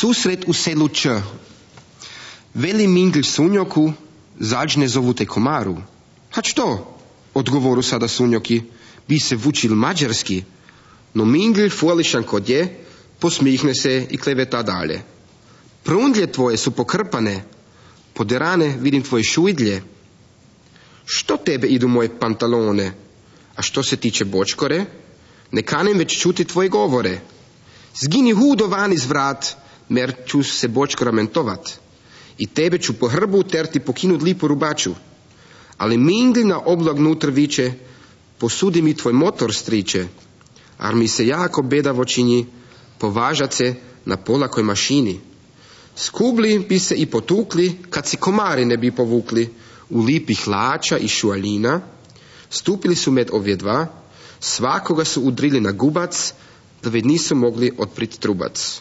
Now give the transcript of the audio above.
Susret u selu Č. Veli Mingl Sunjoku, zađne zovu te komaru. A što? Odgovoru sada Sunjoki, bi se vučil mađarski. No Mingl folišan kod je, posmihne se i kleveta dalje. Prundlje tvoje su pokrpane, poderane vidim tvoje šujdlje. Što tebe idu moje pantalone? A što se tiče bočkore, ne kanem već čuti tvoje govore. Zgini hudo van iz vrat, mer ću se bočkora mentovat. I tebe ću po hrbu terti pokinut lipu rubaču. Ali Mingl na oblak nutr viče, posudi mi tvoj motor, striče. Ar mi se jako bedavo čini, považat se na polakoj mašini. Skubli bi se i potukli, kad si komari ne bi povukli, u lipi hlača i šualina. Stupili su med ovje dva, svakoga su udrili na gubac, da već nisu mogli otprit trubac.